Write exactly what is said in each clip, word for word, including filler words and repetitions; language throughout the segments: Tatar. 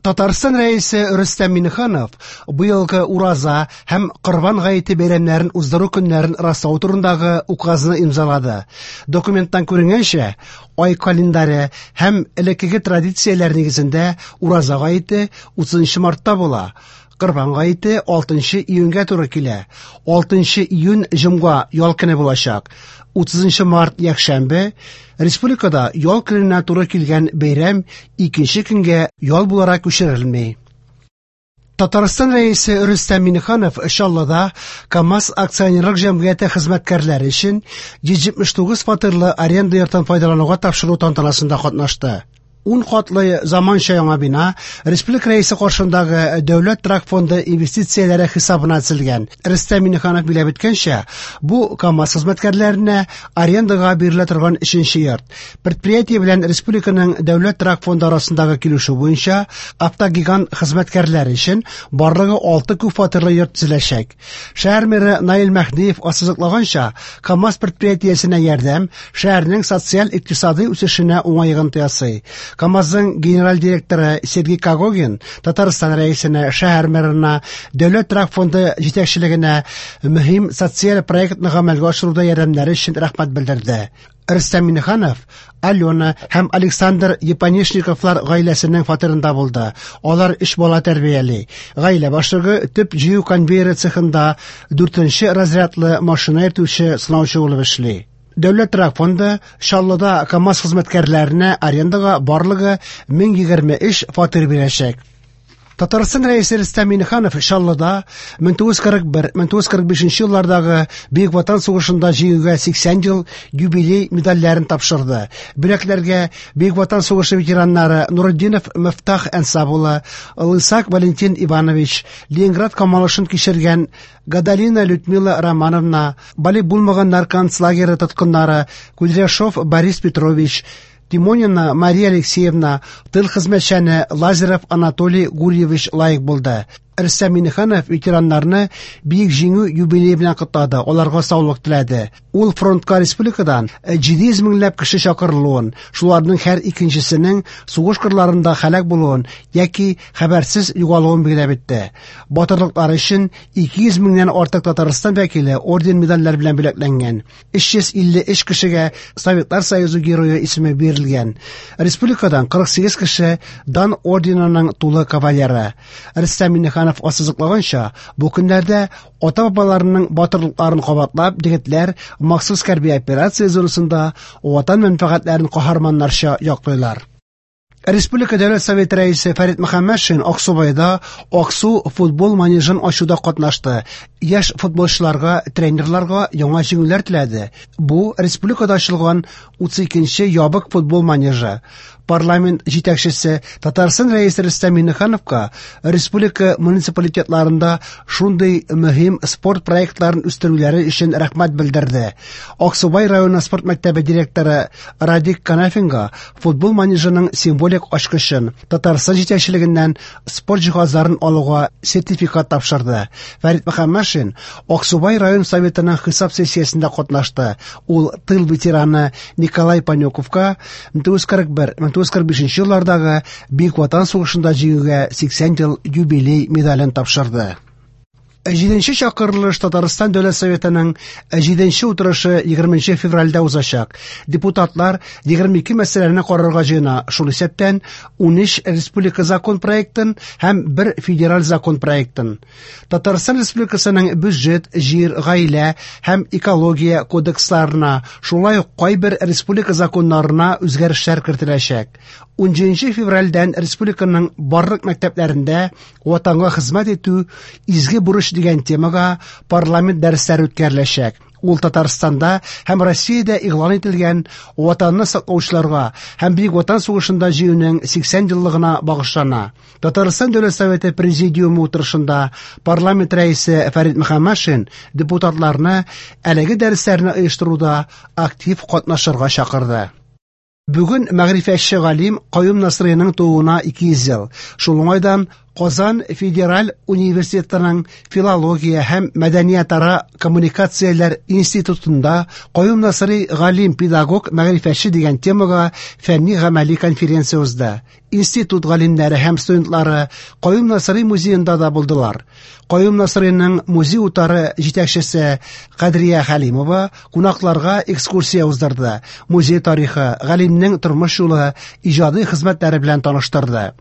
Татарстан Рәисе Рөстәм Миңнеханов быелгы Ураза һәм Корбан гаете бәйрәмнәрен уздыру көннәрен раслау турындагы указны имзалады. Документтан күренгәнчә, ай календаре һәм элеккеге традицияләр нигезендә Ураза гаете утызынчы мартта була. Корбан гаете алтынчы июньгә туры килә. алтынчы июнь җомга ял көне булачак. утызынчы март якшәмбе республикада ял көненә туры килгән бәйрәм икенче көнгә ял буларак күчерелми. Татарстан Рәисе Рөстәм Миңнеханов Чаллыда КАМАЗ акционерлык җәмгыяте хезмәткәрләре өчен йөз җитмеш тугыз фатирлы аренда йортын файдалануга тапшыру тантанасында катнашты. Ун катлы заманча яңа бина Республика Рәисе каршындагы Дәүләт торак фонды инвестицияләре хисабына төзелгән. Рөстәм Миңнеханов билгеләп үткәнчә, бу КАМАЗ хезмәткәрләренә арендага бирелә торган өченче йорт. Предприятие белән республиканың Дәүләт торак фонды арасындагы килешү буенча автогигант хезмәткәрләре өчен барлыгы алты күп фатирлы йорт төзеләчәк. Шәһәр мэры Наил Мәһдиев ассызыклаганча, КАМАЗ предприятиесенә ярдәм шәһәрнең социаль-икътисади үсешенә уңай йогынты ясый. КАМАЗның генераль директоры Сергей Когогин Татарстан Рәисенә, шәһәр мэрына, Дәүләт торак фонды җитәкчелегенә мөһим социаль проектны гамәлгә ашыруда ярдәмнәре өчен рәхмәт белдерде. Рөстәм Миңнеханов Алена һәм Александр Японешниковлар гаиләсенең фатирында булды. Алар өч бала тәрбияли. Гаилә башлыгы төп җыю конвейеры цехында дүртенче разрядлы машина йөртүче сынаучы булып эшли. Дәүләт торак фонды Чаллыда КАМАЗ хезмәткәрләренә арендага барлыгы мең егерме өч фатир бирәчәк. Татарстан Рәисе Рөстәм Миңнеханов Чаллыда мең тугыз йөз кырык бер, мең тугыз йөз кырык бишенче еллардагы Бөек Ватан сугышында җиңүгә сиксән ел юбилей медальләрен тапшырды. Бүләкләргә Бөек Ватан сугышы ветераннары Нуретдинов Мифтах Әнсап улы, Лысак Валентин Иванович, Ленинград камалышын кичергән Гадалина Людмила Романовна, балигъ булмаганнар концлагеры тоткыннары Кудряшов Борис Петрович, Тимонина Мария Алексеевна, тыл хезмәтчәне Лазарев Анатолий Гурьевич лаек булды. Рөстәм Миңнеханов ветераннарны Бөек Җиңү юбилее белән котлады, аларга саулык теләде. Ул фронтка республикадан җиде йөз меңләп кеше чакырылуын, шуларның һәр икенчесенең сугыш кырларында һәлак булуын яки хәбәрсез югалуын билгеләп үтте. Батырлыклары өчен ике йөз меңнән артык Татарстан вәкиле орден-медальләр белән бүләкләнгән. Өч йөз илле өч кешегә Советлар Союзы герое исеме бирелгән. Республикадан кырык сигез кеше Дан орденының тулы кавалеры. Рөстәм Миңнеханов ассызыклаганча, бу көннәрдә ата-бабаларының батырлыкларын кабатлап, егетләр махсус хәрби операция зонасында ватан мәнфәгатьләрен каһарманнарча яклыйлар. Республика Дәүләт Советы рәисе Фәрит Мөхәммәтшин Аксубайда Аксу футбол манежын ачуда катнашты. Яшь футболчыларга, тренерларга яңа җиңүләр теләде. Бу республикада ачылган утыз икенче ябык футбол манежы. Парламент җитәкчесе Татарстан Рәисе Рөстәм Миңнехановка республика муниципалитетларында шундый мөһим спорт проектларын үстерүләре өчен рәхмәт белдерде. Аксубай районы спорт мәктәбе директоры Радик Канафинга футбол манежының символик ачкычын Татарстан җитәкчелегеннән спорт җиһазларын алуга сертификат тапшырды. Фәрит Мөхәммәтшин Аксубай район советының хисап сессиясендә катнашты. Ул тыл ветераны Николай Панюковка мең тугыз йөз кырык бер, мең тугыз йөз кырык бишенче еллардагы Бөек Ватан сугышында җиңүгә сиксән ел юбилей медален тапшырды. Җиденче чакырылыш Татарстан Дәүләт Советының җиденче утырышы егерменче февральдә узачак. Депутатлар егерме ике мәсьәләне карарга җыена, шул исәптән унөч республика закон проектын һәм бер федераль закон проектын. Татарстан Республикасының бюджет, җир, гаилә һәм экология кодексларына, шулай ук кайбер республика законнарына үзгәрешләр кертеләчәк. Унҗиденче февральдән республиканың барлык мәктәпләрендә Ватанга хезмәт итү изге бурыч дигән темага парламент дәресләре үткәреләчәк. Ул Татарстанда һәм Россиядә игълан ителгән Ватанны саклаучыларга һәм Бөек Ватан сугышында җиңүнең сиксән еллыгына багышлана. Татарстан Дәүләт Советы Президиумы утырышында парламент рәисе Фәрит Мөхәммәтшин депутатларны әлеге дәресләрне оештыруда актив катнашырга чакырды. Бүген мәгърифәтче галим Каюм Насыйриның тууына ике йөз ел. Шул уңайдан Казан федераль университетының филология һәм мәдәниятара коммуникацияләр институтында Каюм Насыйри галим, педагог, мәгърифәтче дигән темага фәнни-гамәли конференция узды. Институт галимнәре һәм студентлары Каюм Насыйри музеенда да булдылар. Каюм Насыйриның музей утары җитәкчесе Кадрия Хәлимова кунакларга экскурсия уздырды. Музей тарихы, галимнең тормыш юлы, иҗади хезмәтләре белән таныштырды.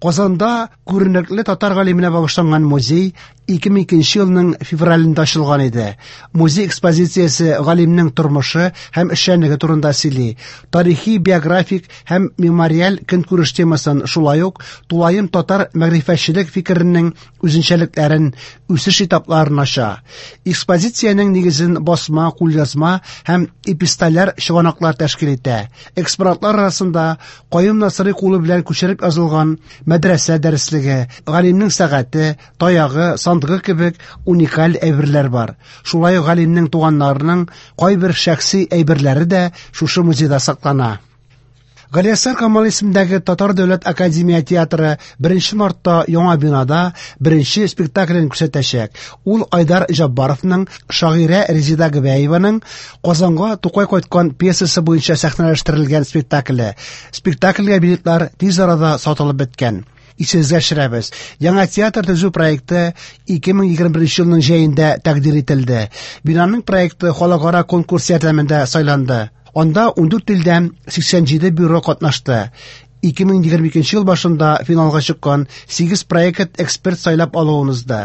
Казанда күренекле татар галименә багышланган музей ике мең икенче елның февралендә ачылган иде. Музей экспозициясе галимнең тормышы һәм эшчәнлеге турында сөйли. Тарихи, биографик һәм мемориаль көнкүреш темасын, шулай ук тулаем татар мәгърифәтчелек фикеренең үзенчәлекләрен, үсеш этапларын ача. Экспозициянең нигезен басма, кулъязма һәм эпистоляр чыганаклар тәшкил итә. Экспонатлар арасында Каюм Насыйри кулы белән күчереп язылган мәдрәсә дәреслеге, галимнең сәгате, таягы, сандыгы кебек уникаль әйберләр бар. Шулай ук галимнең туганнарының кайбер шәхси әйберләре дә шушы музейда саклана. Галиәсгар Камал исемендәге Татар дәүләт академия театры беренче мартта яңа бинада беренче спектаклен күрсәтәчәк. Ул Айдар Җаббаровның шагыйрә Резеда Гобәеваның Казанга Тукай кайткан пьесасы буенча сәхнәләштерелгән спектакле. Спектакльгә билетлар тиз арада сатылып беткән. Исегезгә төшерәбез. Яңа театр төзү проекты ике мең егерме беренче елның җәендә тәкъдир ителде. Бинаның проекты халыкара конкурс ярдәмендә сайланды. Анда ундүрт илдән сиксән җиде бюро катнашты. Ике мең егерме икенче ел башында финалга чыккан сигез проект эксперт сайлап алуын узды.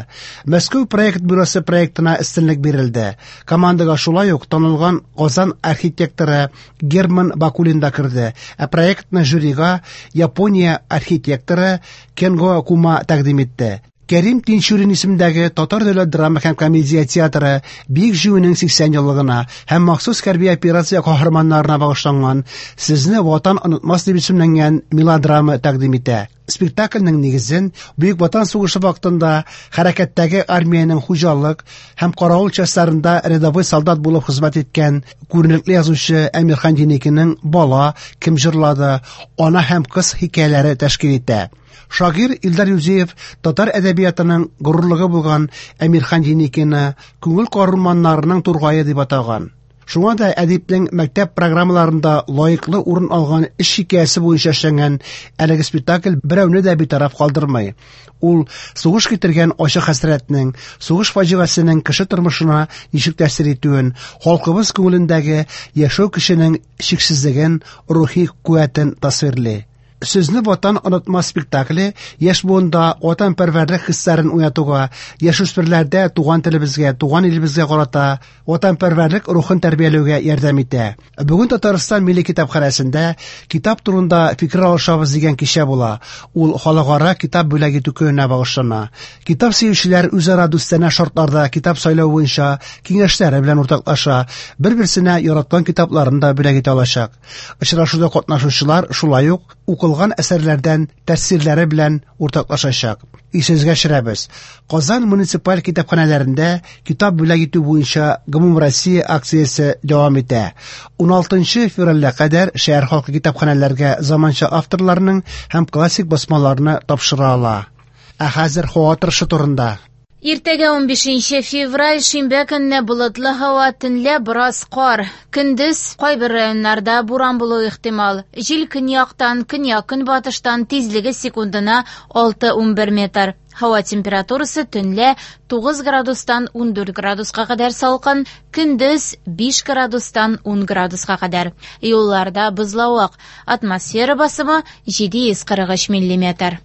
Мәскәү проект бюросы проектына өстенлек бирелде. Командага шулай ук танылган Казан архитекторы Герман Бакулин да керде. Ә проектны жюрига Япония архитекторы Кенго Кума тәкъдим итте. Кәрим Тинчурин исемендәге Татар дәүләт драма һәм комедия театры Бөек Җиңүнең сиксән еллыгына һәм махсус хәрби операция каһарманнарына багышланган Сезне Ватан онытмас дип исемләнгән мелодрама тәкъдим итә. Спектакльнең нигезен Бөек Ватан сугышы вакытында хәрәкәттәге армиянең хуҗалык һәм каравыл частьларында рядовой солдат булып хезмәт иткән күренекле язучы Әмирхан Еникинең Бала, Кем җырлады, Ана һәм кыз хикәяләре тәшкил итә. Шагыйрь Илдар Юзеев татар әдәбиятының горурлыгы булган Әмирхан Еникины күңел карурманнарының тургае дип атаган. Шуңа да әдипнең мәктәп программаларында лаеклы урын алган эш хикәясе буенча эшләнгән әлеге спектакль берәүне дә битараф калдырмый. Ул сугыш китергән ачы хәсрәтнең, сугыш фаҗигасенең кеше тормышына ничек тәэсир итүен, халкыбыз күңелендәге яшәү көченең чиксезлеген, рухи куәтен тасвирлый. Сезне Ватан онытмас спектакле яшь буында ватанпәрвәрлек хисләрен уятуга, яшүсмерләрдә туган телебезгә, туган илебезгә карата ватанпәрвәрлек рухын тәрбияләүгә ярдәм итә. Бүген Татарстан Милли китапханәсендә китап турында фикер алышабыз дигән кичә була. Ул халыкара китап бүләк итү көненә багышлана. Китап сөючеләр үзара дустанә шартларда китап сайлау буенча киңәшләре белән уртаклаша, бер-берсенә яраткан китапларын да бүләк итә алачак. Очрашуда катнашучылар шулай ук укылган әсәрләрдән тәэсирләре белән уртаклашачак. Исегезгә төшерәбез. Казан муниципаль китапханәләрендә китап бүләк итү буенча Гомумроссия акциясе дәвам итә. Уналтынчы февральгә кадәр шәһәр халкы китапханәләргә заманча авторларның һәм классик басмаларны тапшыра ала. Ә хәзер һава торышы турында. Иртәгә унбишенче февраль шимбә көнне болытлы һава, төнлә бераз кар. Көндез кайбер районнарда буран булуы ихтимал. Җил көньяктан, көньяк-көнбатыштан тизлеге секундына алты унбер метр. Һава температурасы төнлә тугыз градустан ундүрт градуска кадәр салкын, көндез биш градустан ун градуска кадәр. Юлларда бозлавык. Атмосфера басымы җиде йөз кырык өч миллиметр.